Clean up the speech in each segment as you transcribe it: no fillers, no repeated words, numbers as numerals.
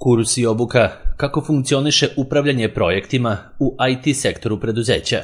Kurs i obuka kako funkcioniše upravljanje projektima u IT sektoru preduzeća.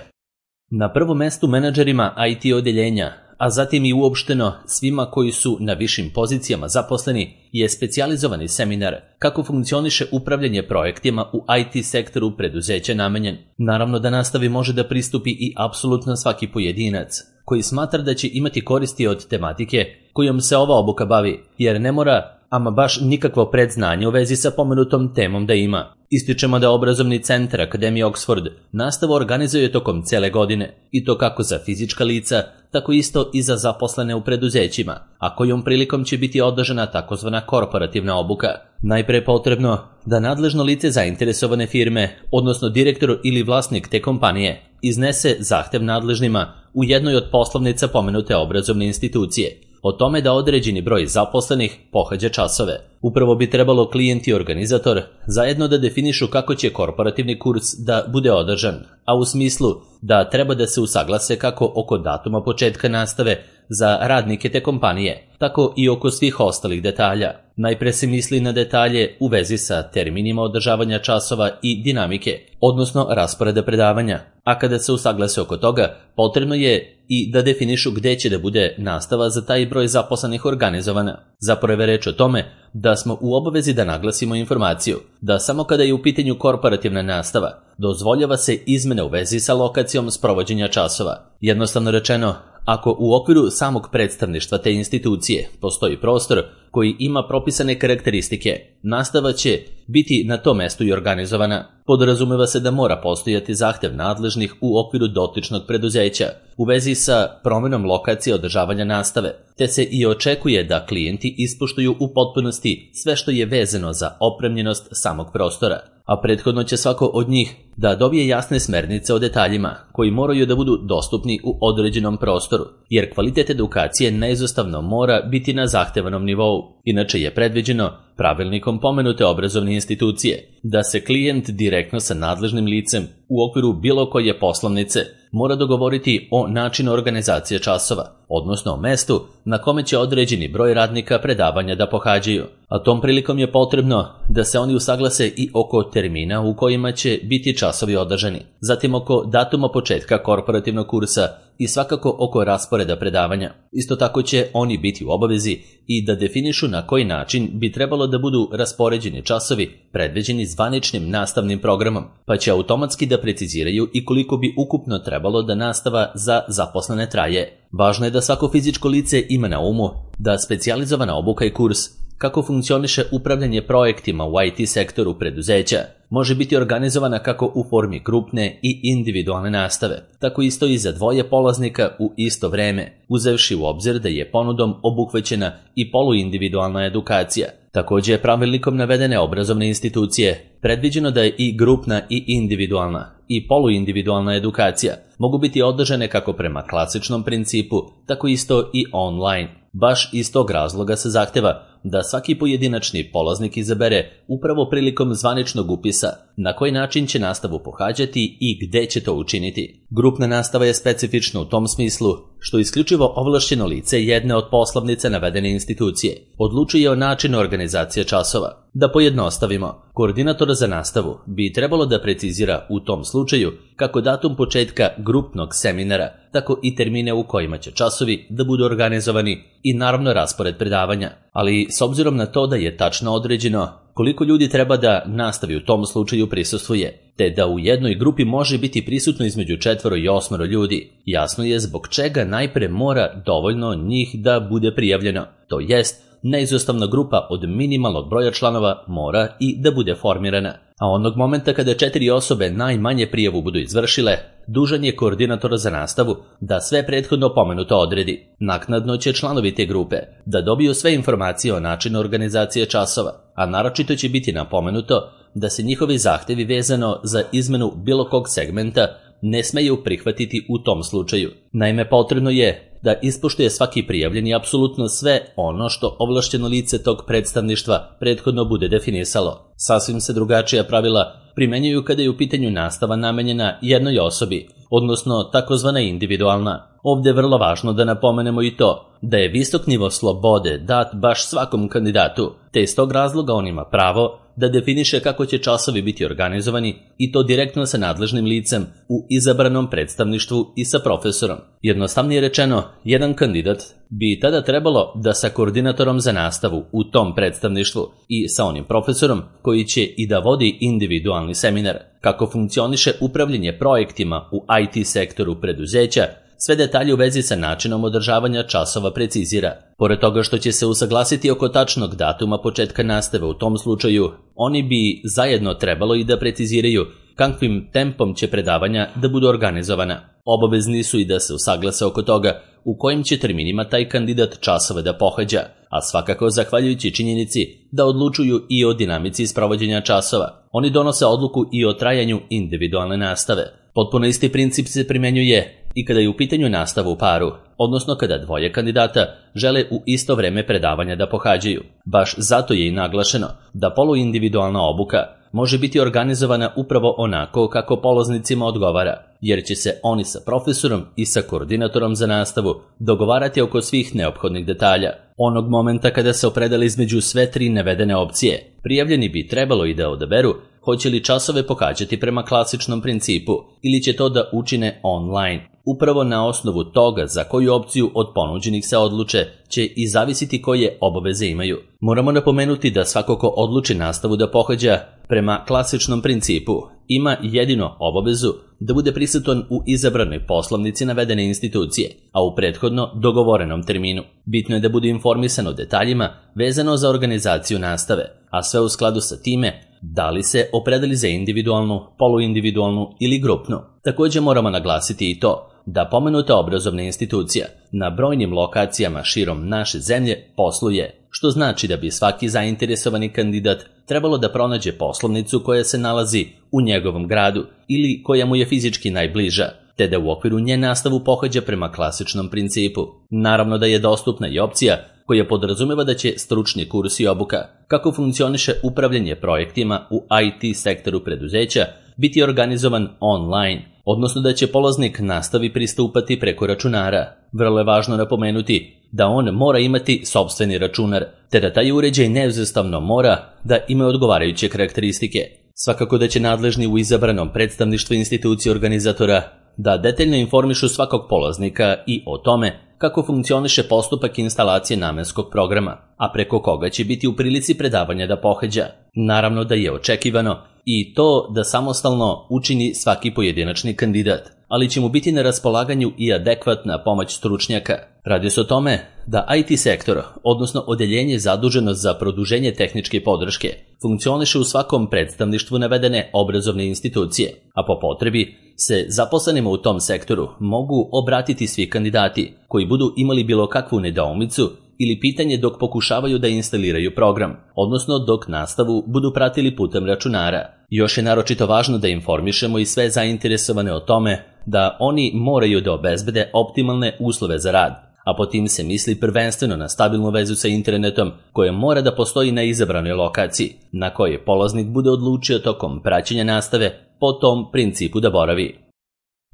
Na prvom mestu menadžerima IT odeljenja, a zatim i uopšteno svima koji su na višim pozicijama zaposleni, je specijalizovani seminar kako funkcioniše upravljanje projektima u IT sektoru preduzeća namenjen. Naravno da nastavi može da pristupi i apsolutno svaki pojedinac koji smatra da će imati koristi od tematike kojom se ova obuka bavi, jer ne mora ama baš nikakvo predznanje u vezi sa pomenutom temom da ima. Ističemo da obrazovni centar Akademije Oxford nastavu organizuje tokom cele godine, i to kako za fizička lica, tako isto i za zaposlene u preduzećima, a kojom prilikom će biti održana takozvana korporativna obuka. Najpre je potrebno da nadležno lice zainteresovane firme, odnosno direktor ili vlasnik te kompanije, iznese zahtev nadležnima u jednoj od poslovnica pomenute obrazovne institucije o tome da određeni broj zaposlenih pohađa časove. Upravo bi trebalo klijent i organizator zajedno da definišu kako će korporativni kurs da bude održan, a u smislu da treba da se usaglase kako oko datuma početka nastave za radnike te kompanije, tako i oko svih ostalih detalja. Najpre se misli na detalje u vezi sa terminima održavanja časova i dinamike, odnosno rasporeda predavanja, a kada se usaglase oko toga, potrebno je i da definišu gde će da bude nastava za taj broj zaposlenih organizovana. Zapravo je reč o tome da smo u obavezi da naglasimo informaciju da samo kada je u pitanju korporativna nastava, dozvoljava se izmene u vezi sa lokacijom sprovođenja časova. Jednostavno rečeno, ako u okviru samog predstavništva te institucije postoji prostor koji ima propisane karakteristike, nastava će biti na tom mestu i organizovana. Podrazumeva se da mora postojati zahtev nadležnih u okviru dotičnog preduzeća u vezi sa promenom lokacije održavanja nastave, te se i očekuje da klijenti ispoštuju u potpunosti sve što je vezano za opremljenost samog prostora, a prethodno će svako od njih da dobije jasne smernice o detaljima koji moraju da budu dostupni u određenom prostoru, jer kvalitet edukacije neizostavno mora biti na zahtevanom nivou. Inače je predviđeno pravilnikom pomenute obrazovne institucije da se klijent direktno sa nadležnim licem u okviru bilo koje poslovnice mora dogovoriti o načinu organizacije časova, odnosno o mestu na kome će određeni broj radnika predavanja da pohađaju, a tom prilikom je potrebno da se oni usaglase i oko termina u kojima će biti časovi održani, zatim oko datuma početka korporativnog kursa i svakako oko rasporeda predavanja. Isto tako će oni biti u obavezi i da definišu na koji način bi trebalo da budu raspoređeni časovi predviđeni zvaničnim nastavnim programom, pa će automatski da preciziraju i koliko bi ukupno trebalo da nastava za zaposlene traje. Važno je da svako fizičko lice ima na umu da specijalizovana obuka i kurs kako funkcioniše upravljanje projektima u IT sektoru preduzeća može biti organizovana kako u formi grupne i individualne nastave, tako isto i za dvoje polaznika u isto vreme, uzevši u obzir da je ponudom obuhvaćena i poluindividualna edukacija. Također je pravilnikom navedene obrazovne institucije predviđeno da je i grupna i individualna i poluindividualna edukacija mogu biti održane kako prema klasičnom principu, tako isto i online. Baš iz tog razloga se zahteva da svaki pojedinačni polaznik izabere upravo prilikom zvaničnog upisa na koji način će nastavu pohađati i gde će to učiniti. Grupna nastava je specifična u tom smislu što isključivo ovlašćeno lice jedne od poslovnice navedene institucije odlučuje o načinu organizacije časova. Da pojednostavimo, koordinator za nastavu bi trebalo da precizira u tom slučaju kako datum početka grupnog seminara, tako i termine u kojima će časovi da budu organizovani i naravno raspored predavanja. Ali s obzirom na to da je tačno određeno koliko ljudi treba da nastavi u tom slučaju prisustvuje, te da u jednoj grupi može biti prisutno između 4 i 8 ljudi, jasno je zbog čega najpre mora dovoljno njih da bude prijavljeno, to jest neizostavna grupa od minimalnog broja članova mora i da bude formirana. A onog momenta kada 4 osobe najmanje prijavu budu izvršile, dužan je koordinator za nastavu da sve prethodno pomenuto odredi. Naknadno će članovi te grupe da dobiju sve informacije o načinu organizacije časova, a naročito će biti napomenuto da se njihovi zahtevi vezano za izmenu bilo kog segmenta ne smeju prihvatiti u tom slučaju. Naime, potrebno je da ispoštuje svaki prijavljeni apsolutno sve ono što ovlašćeno lice tog predstavništva prethodno bude definisalo. Sasvim se drugačija pravila primenjuju kada je u pitanju nastava namenjena jednoj osobi, odnosno takozvana individualna. Ovdje je vrlo važno da napomenemo i to da je visok nivo slobode dat baš svakom kandidatu, te iz tog razloga on ima pravo da definiše kako će časovi biti organizovani i to direktno sa nadležnim licem u izabranom predstavništvu i sa profesorom. Jednostavnije rečeno, jedan kandidat bi tada trebalo da sa koordinatorom za nastavu u tom predstavništvu i sa onim profesorom koji će i da vodi individualni seminar, kako funkcioniše upravljanje projektima u IT sektoru preduzeća, sve detalje u vezi sa načinom održavanja časova precizira. Pored toga što će se usaglasiti oko tačnog datuma početka nastave u tom slučaju, oni bi zajedno trebalo i da preciziraju kakvim tempom će predavanja da budu organizovana. Obavezni su i da se usaglase oko toga u kojim će terminima taj kandidat časove da pohađa, a svakako zahvaljujući činjenici da odlučuju i o dinamici sprovođenja časova. Oni donose odluku i o trajanju individualne nastave. Potpuno isti princip se primenjuje i kada je u pitanju nastava u paru, odnosno kada dvoje kandidata žele u isto vreme predavanja da pohađaju. Baš zato je i naglašeno da poluindividualna obuka može biti organizovana upravo onako kako polaznicima odgovara, jer će se oni sa profesorom i sa koordinatorom za nastavu dogovarati oko svih neophodnih detalja. Onog momenta kada se opredele između sve tri navedene opcije, prijavljeni bi trebalo i da odaberu hoće li časove pohađati prema klasičnom principu ili će to da učine online. Upravo na osnovu toga za koju opciju od ponuđenih se odluče će i zavisiti koje obaveze imaju. Moramo napomenuti da svako ko odluči nastavu da pohađa prema klasičnom principu ima jedino obavezu da bude prisutan u izabranoj poslovnici navedene institucije, a u prethodno dogovorenom terminu. Bitno je da bude informisan o detaljima vezano za organizaciju nastave, a sve u skladu sa time da li se opredeli za individualnu, poluindividualnu ili grupnu. Također moramo naglasiti i to da pomenuta obrazovna institucija na brojnim lokacijama širom naše zemlje posluje, što znači da bi svaki zainteresovani kandidat trebalo da pronađe poslovnicu koja se nalazi u njegovom gradu ili koja mu je fizički najbliža, te da u okviru nje nastavu pohađa prema klasičnom principu. Naravno da je dostupna i opcija koja podrazumeva da će stručni kurs i obuka, kako funkcioniše upravljanje projektima u IT sektoru preduzeća, biti organizovan online, odnosno da će polaznik nastavi pristupati preko računara. Vrlo je važno napomenuti da on mora imati sopstveni računar, te da taj uređaj neizostavno mora da ima odgovarajuće karakteristike. Svakako da će nadležni u izabranom predstavništvu institucije organizatora da detaljno informišu svakog polaznika i o tome kako funkcioniše postupak instalacije namenskog programa, a preko koga će biti u prilici predavanja da pohađa. Naravno da je očekivano i to da samostalno učini svaki pojedinačni kandidat, ali će mu biti na raspolaganju i adekvatna pomoć stručnjaka. Radi se o tome da IT sektor, odnosno odeljenje zaduženo za produženje tehničke podrške, funkcioniše u svakom predstavništvu navedene obrazovne institucije, a po potrebi se zaposlenima u tom sektoru mogu obratiti svi kandidati koji budu imali bilo kakvu nedoumicu ili pitanje dok pokušavaju da instaliraju program, odnosno dok nastavu budu pratili putem računara. Još je naročito važno da informišemo i sve zainteresovane o tome da oni moraju da obezbede optimalne uslove za rad, a po tim se misli prvenstveno na stabilnu vezu sa internetom koja mora da postoji na izabranoj lokaciji, na kojoj polaznik bude odlučio tokom praćenja nastave po tom principu da boravi.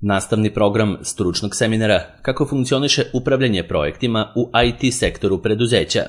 Nastavni program stručnog seminara kako funkcioniše upravljanje projektima u IT sektoru preduzeća.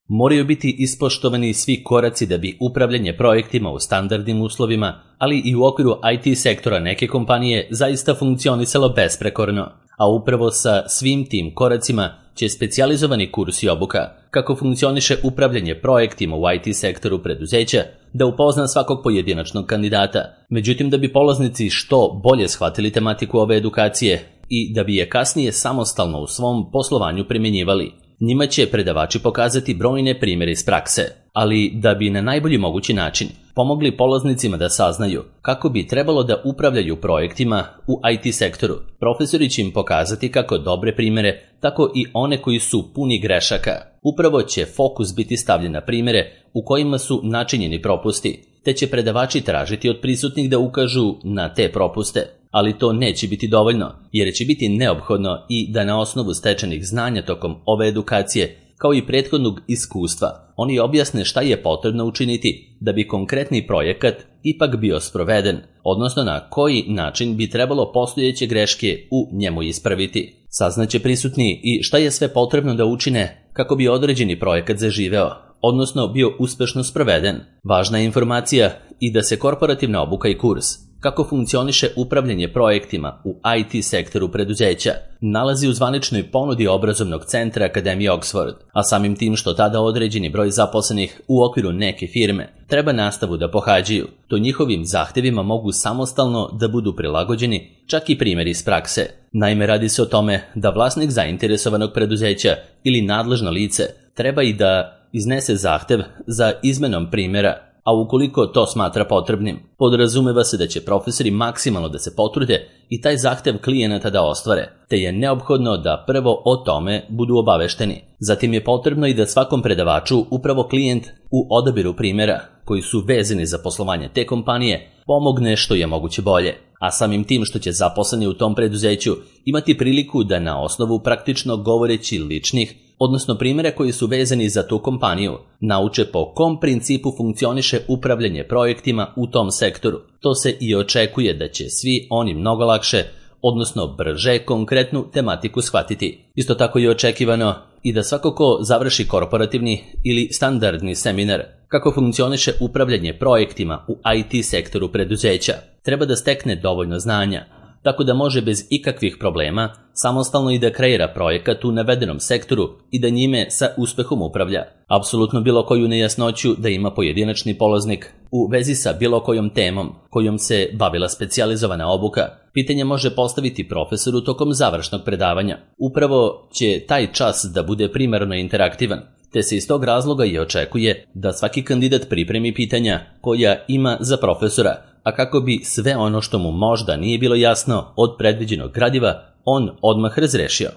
Moraju biti ispoštovani svi koraci da bi upravljanje projektima u standardnim uslovima, ali i u okviru IT sektora neke kompanije zaista funkcionisalo besprekorno, a upravo sa svim tim koracima će specijalizovani kurs i obuka kako funkcioniše upravljanje projektima u IT sektoru preduzeća da upozna svakog pojedinačnog kandidata. Međutim, da bi polaznici što bolje shvatili tematiku ove edukacije i da bi je kasnije samostalno u svom poslovanju primjenjivali, njima će predavači pokazati brojne primjere iz prakse, ali da bi na najbolji mogući način pomogli polaznicima da saznaju kako bi trebalo da upravljaju projektima u IT sektoru. Profesori će im pokazati kako dobre primjere, tako i one koji su puni grešaka. Upravo će fokus biti stavljen na primjere u kojima su načinjeni propusti, te će predavači tražiti od prisutnih da ukažu na te propuste. Ali to neće biti dovoljno, jer će biti neophodno i da na osnovu stečenih znanja tokom ove edukacije, kao i prethodnog iskustva, oni objasne šta je potrebno učiniti da bi konkretni projekat ipak bio sproveden, odnosno na koji način bi trebalo postojeće greške u njemu ispraviti. Saznaće prisutni i šta je sve potrebno da učine kako bi određeni projekat zaživeo, odnosno bio uspešno sproveden. Važna je informacija i da se korporativna obuka i kurs kako funkcioniše upravljanje projektima u IT sektoru preduzeća nalazi u zvaničnoj ponudi obrazovnog centra Akademije Oxford, a samim tim što tada određeni broj zaposlenih u okviru neke firme treba nastavu da pohađaju, to njihovim zahtevima mogu samostalno da budu prilagođeni čak i primjeri iz prakse. Naime, radi se o tome da vlasnik zainteresovanog preduzeća ili nadležno lice treba i da iznese zahtev za izmenom primjera, a ukoliko to smatra potrebnim, podrazumeva se da će profesori maksimalno da se potrude i taj zahtev klijenata da ostvare, te je neophodno da prvo o tome budu obavešteni. Zatim je potrebno i da svakom predavaču upravo klijent u odabiru primjera koji su vezani za poslovanje te kompanije pomogne što je moguće bolje, a samim tim što će zaposleni u tom preduzeću imati priliku da na osnovu praktično govoreći ličnih, odnosno primjera koji su vezani za tu kompaniju, nauče po kom principu funkcioniše upravljanje projektima u tom sektoru. To se i očekuje da će svi oni mnogo lakše, odnosno brže konkretnu tematiku shvatiti. Isto tako je očekivano i da svako ko završi korporativni ili standardni seminar kako funkcioniše upravljanje projektima u IT sektoru preduzeća, treba da stekne dovoljno znanja, tako da može bez ikakvih problema samostalno i da kreira projekat u navedenom sektoru i da njime sa uspehom upravlja. Apsolutno bilo koju nejasnoću da ima pojedinačni polaznik u vezi sa bilo kojom temom kojom se bavila specijalizovana obuka, pitanje može postaviti profesoru tokom završnog predavanja. Upravo će taj čas da bude primarno interaktivan, te se iz tog razloga i očekuje da svaki kandidat pripremi pitanja koja ima za profesora, a kako bi sve ono što mu možda nije bilo jasno od predviđenog gradiva on odmah razrešio.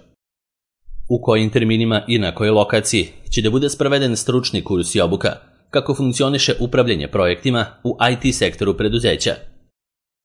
U kojim terminima i na kojoj lokaciji će da bude sproveden stručni kurs i obuka, kako funkcioniše upravljanje projektima u IT sektoru preduzeća.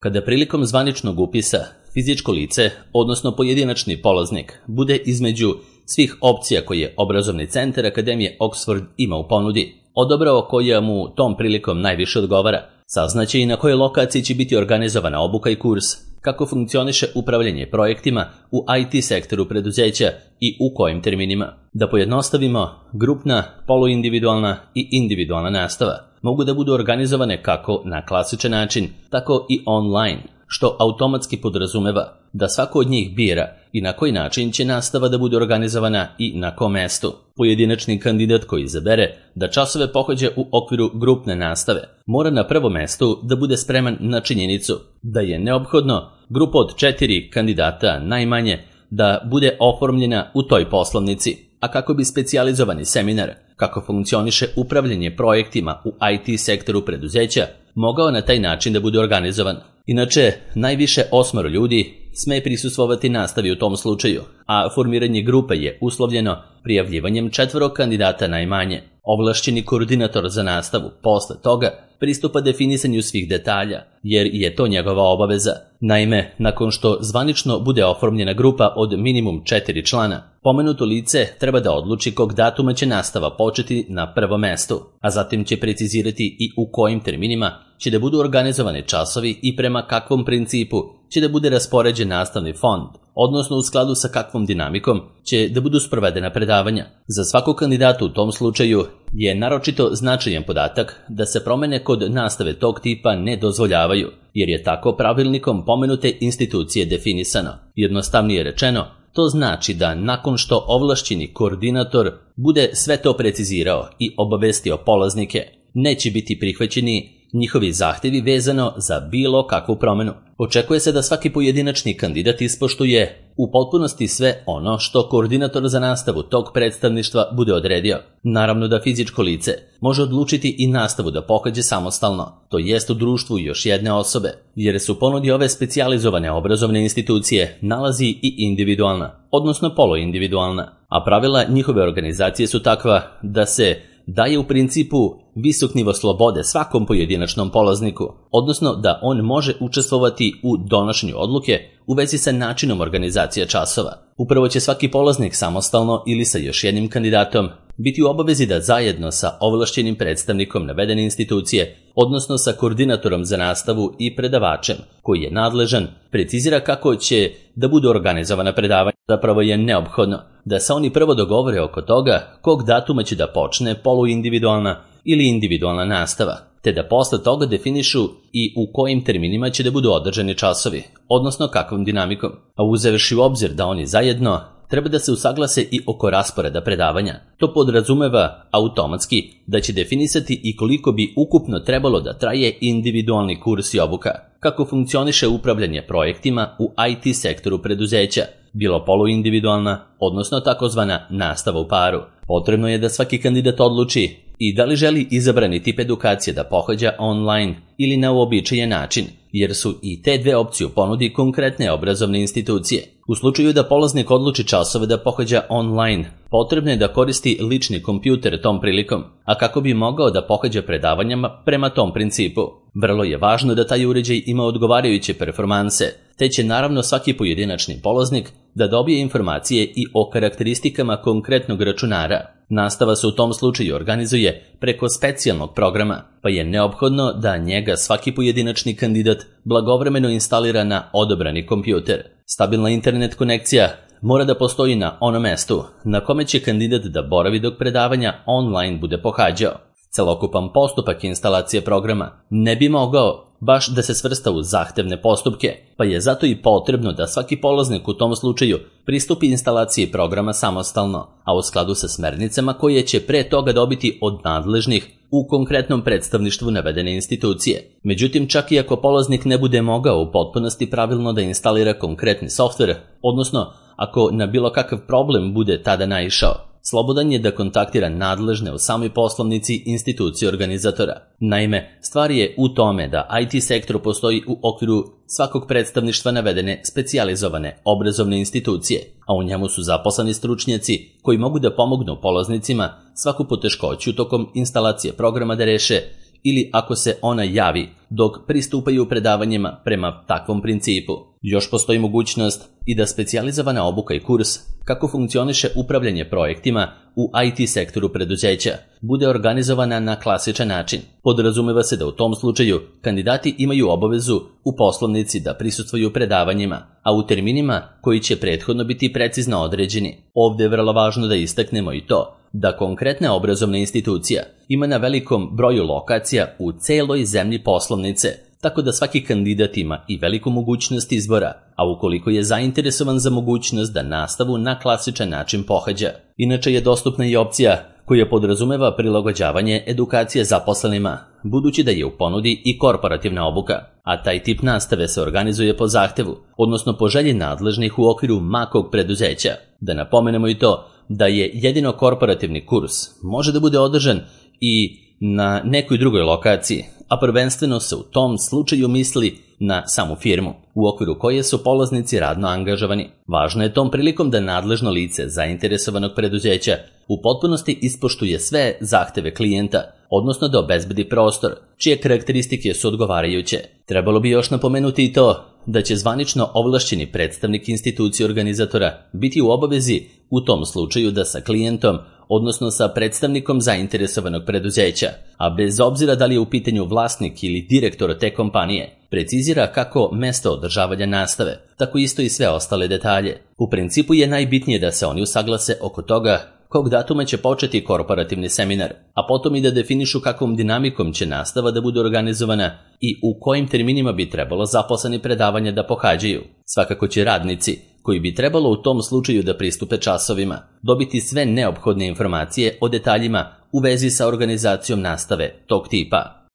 Kada prilikom zvaničnog upisa fizičko lice, odnosno pojedinačni polaznik, bude između svih opcija koje obrazovni centar Akademije Oxford ima u ponudi, odabrao koja mu tom prilikom najviše odgovara, saznaće i na kojoj lokaciji će biti organizovana obuka i kurs, kako funkcioniše upravljanje projektima u IT sektoru preduzeća i u kojim terminima. Da pojednostavimo, grupna, poluindividualna i individualna nastava mogu da budu organizovane kako na klasičan način, tako i online, što automatski podrazumeva da svako od njih bira i na koji način će nastava da bude organizovana i na kom mestu. Pojedinačni kandidat koji izabere da časove pohađa u okviru grupne nastave mora na prvom mestu da bude spreman na činjenicu da je neophodno grupa od 4 kandidata najmanje da bude oformljena u toj poslovnici, a kako bi specijalizovani seminar kako funkcioniše upravljanje projektima u IT sektoru preduzeća mogao na taj način da bude organizovan. Inače, najviše 8 ljudi sme prisustvovati nastavi u tom slučaju, a formiranje grupe je uslovljeno prijavljivanjem 4 kandidata najmanje. Ovlašćeni koordinator za nastavu posle toga pristupa definisanju svih detalja, jer je to njegova obaveza. Naime, nakon što zvanično bude oformljena grupa od minimum 4 člana, pomenuto lice treba da odluči kog datuma će nastava početi na prvom mestu, a zatim će precizirati i u kojim terminima će da budu organizovani časovi i prema kakvom principu će da bude raspoređen nastavni fond, odnosno u skladu sa kakvom dinamikom će da budu sprovedena predavanja. Za svakog kandidata u tom slučaju je naročito značajan podatak da se promene kod nastave tog tipa ne dozvoljavaju, jer je tako pravilnikom pomenute institucije definisano. Jednostavnije rečeno, to znači da nakon što ovlašćeni koordinator bude sve to precizirao i obavestio polaznike, neće biti prihvaćeni njihovi zahtevi vezano za bilo kakvu promenu. Očekuje se da svaki pojedinačni kandidat ispoštuje u potpunosti sve ono što koordinator za nastavu tog predstavništva bude odredio. Naravno da fizičko lice može odlučiti i nastavu da pohađa samostalno, to jest u društvu još jedne osobe, jer su ponudi ove specijalizovane obrazovne institucije nalazi i individualna, odnosno poluindividualna, a pravila njihove organizacije su takva da se daje u principu visok nivo slobode svakom pojedinačnom polazniku, odnosno da on može učestvovati u donošenju odluke u vezi sa načinom organizacije časova. Upravo će svaki polaznik samostalno ili sa još jednim kandidatom biti u obavezi da zajedno sa ovlašćenim predstavnikom navedene institucije odnosno sa koordinatorom za nastavu i predavačem, koji je nadležan, precizira kako će da budu organizovana predavanja. Zapravo je neophodno da se oni prvo dogovore oko toga kog datuma će da počne poluindividualna ili individualna nastava, te da posle toga definišu i u kojim terminima će da budu održani časovi, odnosno kakvom dinamikom, a uzevši u obzir da oni zajedno treba da se usaglase i oko rasporeda predavanja. To podrazumeva automatski da će definisati i koliko bi ukupno trebalo da traje individualni kurs i obuka, kako funkcioniše upravljanje projektima u IT sektoru preduzeća, bilo poluindividualna, odnosno takozvana nastava u paru. Potrebno je da svaki kandidat odluči i da li želi izabrani tip edukacije da pohađa online ili na uobičajen način, jer su i te dve opcije u ponudi konkretne obrazovne institucije. U slučaju da polaznik odluči časove da pohađa online, potrebno je da koristi lični kompjuter tom prilikom, a kako bi mogao da pohađa predavanjama prema tom principu. Vrlo je važno da taj uređaj ima odgovarajuće performanse, te će naravno svaki pojedinačni polaznik da dobije informacije i o karakteristikama konkretnog računara. Nastava se u tom slučaju organizuje preko specijalnog programa, pa je neophodno da njega svaki pojedinačni kandidat blagovremeno instalira na odabrani kompjuter. Stabilna internet konekcija mora da postoji na onom mestu na kome će kandidat da boravi dok predavanja online bude pohađao. Celokupan postupak instalacije programa ne bi mogao baš da se svrsta u zahtevne postupke, pa je zato i potrebno da svaki polaznik u tom slučaju pristupi instalaciji programa samostalno, a u skladu sa smernicama koje će pre toga dobiti od nadležnih u konkretnom predstavništvu navedene institucije. Međutim, čak i ako polaznik ne bude mogao u potpunosti pravilno da instalira konkretni softver, odnosno ako na bilo kakav problem bude tada naišao, slobodan je da kontaktira nadležne u samoj poslovnici institucije organizatora. Naime, stvar je u tome da IT sektor postoji u okviru svakog predstavništva navedene specijalizovane obrazovne institucije, a u njemu su zaposleni stručnjaci koji mogu da pomognu polaznicima svaku poteškoću tokom instalacije programa da reše ili ako se ona javi dok pristupaju predavanjima prema takvom principu. Još postoji mogućnost i da specijalizovana obuka i kurs kako funkcioniše upravljanje projektima u IT sektoru preduzeća bude organizovana na klasičan način. Podrazumeva se da u tom slučaju kandidati imaju obavezu u poslovnici da prisustvuju predavanjima, a u terminima koji će prethodno biti precizno određeni. Ovde je vrlo važno da istaknemo i to da konkretna obrazovna institucija ima na velikom broju lokacija u celoj zemlji poslovnice, tako da svaki kandidat ima i veliku mogućnost izbora, a ukoliko je zainteresovan za mogućnost da nastavu na klasičan način pohađa. Inače je dostupna i opcija koja podrazumeva prilagođavanje edukacije zaposlenima, budući da je u ponudi i korporativna obuka, a taj tip nastave se organizuje po zahtevu, odnosno po želji nadležnih u okviru makog preduzeća. Da napomenemo i to da je jedino korporativni kurs može da bude održan i na nekoj drugoj lokaciji, a prvenstveno se u tom slučaju misli na samu firmu, u okviru koje su polaznici radno angažovani. Važno je tom prilikom da nadležno lice zainteresovanog preduzeća u potpunosti ispoštuje sve zahteve klijenta, odnosno da obezbedi prostor, čije karakteristike su odgovarajuće. Trebalo bi još napomenuti i to da će zvanično ovlašćeni predstavnik institucije organizatora biti u obavezi u tom slučaju da sa klijentom, odnosno sa predstavnikom zainteresovanog preduzeća, a bez obzira da li je u pitanju vlasnik ili direktor te kompanije, precizira kako mesto održavanja nastave, tako isto i sve ostale detalje. U principu je najbitnije da se oni usaglase oko toga kog datuma će početi korporativni seminar, a potom i da definišu kakvom dinamikom će nastava da bude organizovana i u kojim terminima bi trebalo zaposleni predavanja da pohađaju. Svakako će radnici, koji bi trebalo u tom slučaju da pristupe časovima, dobiti sve neophodne informacije o detaljima u vezi sa organizacijom nastave tog tipa.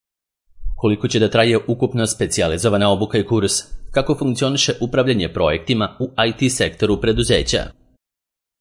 Koliko će da traje ukupno specijalizovana obuka i kurs, kako funkcioniše upravljanje projektima u IT sektoru preduzeća.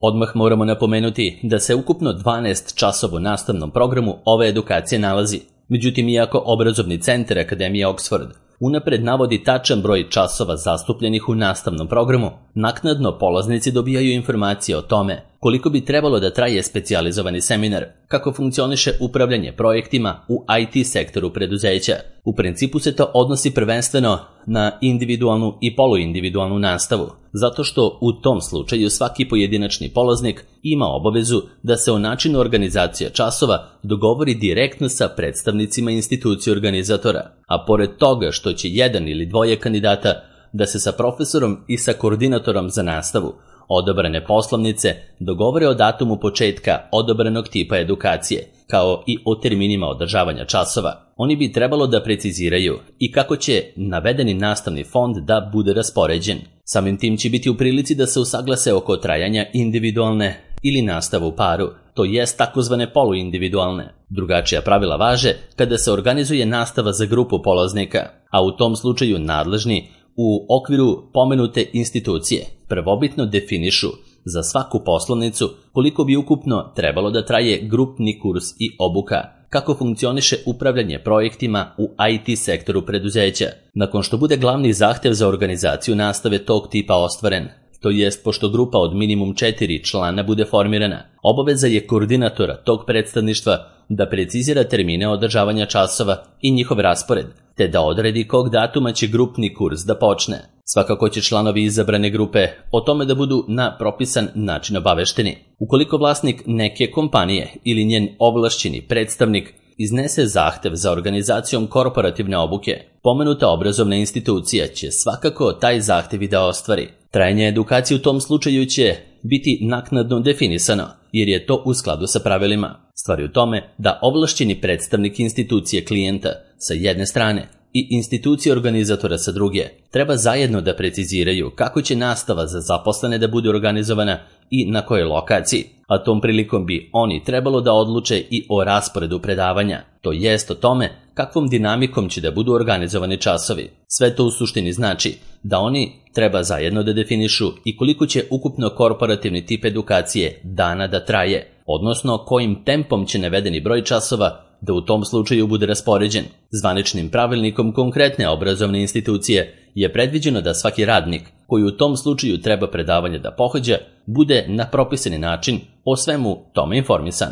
Odmah moramo napomenuti da se ukupno 12 časova u nastavnom programu ove edukacije nalazi. Međutim, iako obrazovni centar Akademije Oxford unapred navodi tačan broj časova zastupljenih u nastavnom programu, naknadno polaznici dobijaju informacije o tome koliko bi trebalo da traje specijalizovani seminar, kako funkcioniše upravljanje projektima u IT sektoru preduzeća. U principu se to odnosi prvenstveno na individualnu i poluindividualnu nastavu, zato što u tom slučaju svaki pojedinačni polaznik ima obavezu da se o načinu organizacije časova dogovori direktno sa predstavnicima institucije organizatora, a pored toga što će jedan ili dvoje kandidata da se sa profesorom i sa koordinatorom za nastavu odabrane poslovnice dogovore o datumu početka odabranog tipa edukacije, kao i o terminima održavanja časova. Oni bi trebalo da preciziraju i kako će navedeni nastavni fond da bude raspoređen. Samim tim će biti u prilici da se usaglase oko trajanja individualne ili nastave u paru, to jest takozvane poluindividualne. Drugačija pravila važe kada se organizuje nastava za grupu polaznika, a u tom slučaju nadležni u okviru pomenute institucije prvobitno definišu za svaku poslovnicu koliko bi ukupno trebalo da traje grupni kurs i obuka, kako funkcioniše upravljanje projektima u IT sektoru preduzeća. Nakon što bude glavni zahtev za organizaciju nastave tog tipa ostvaren, to jest pošto grupa od minimum 4 člana bude formirana, obaveza je koordinatora tog predstavništva da precizira termine održavanja časova i njihov raspored, te da odredi kog datuma će grupni kurs da počne. Svakako će članovi izabrane grupe o tome da budu na propisan način obavešteni. Ukoliko vlasnik neke kompanije ili njen ovlašćeni predstavnik iznese zahtev za organizacijom korporativne obuke, pomenuta obrazovna institucija će svakako taj zahtev i da ostvari. Trajanje edukacije u tom slučaju će biti naknadno definisano, jer je to u skladu sa pravilima. Stvar je u tome da ovlašćeni predstavnik institucije klijenta sa jedne strane i institucije organizatora sa druge treba zajedno da preciziraju kako će nastava za zaposlene da bude organizovana i na kojoj lokaciji, a tom prilikom bi oni trebalo da odluče i o rasporedu predavanja, to jest o tome kakvom dinamikom će da budu organizovani časovi. Sve to u suštini znači da oni treba zajedno da definišu i koliko će ukupno korporativni tip edukacije dana da traje, odnosno kojim tempom će navedeni broj časova da u tom slučaju bude raspoređen. Zvaničnim pravilnikom konkretne obrazovne institucije je predviđeno da svaki radnik koji u tom slučaju treba predavanje da pohađa bude na propisani način o svemu tome informisan.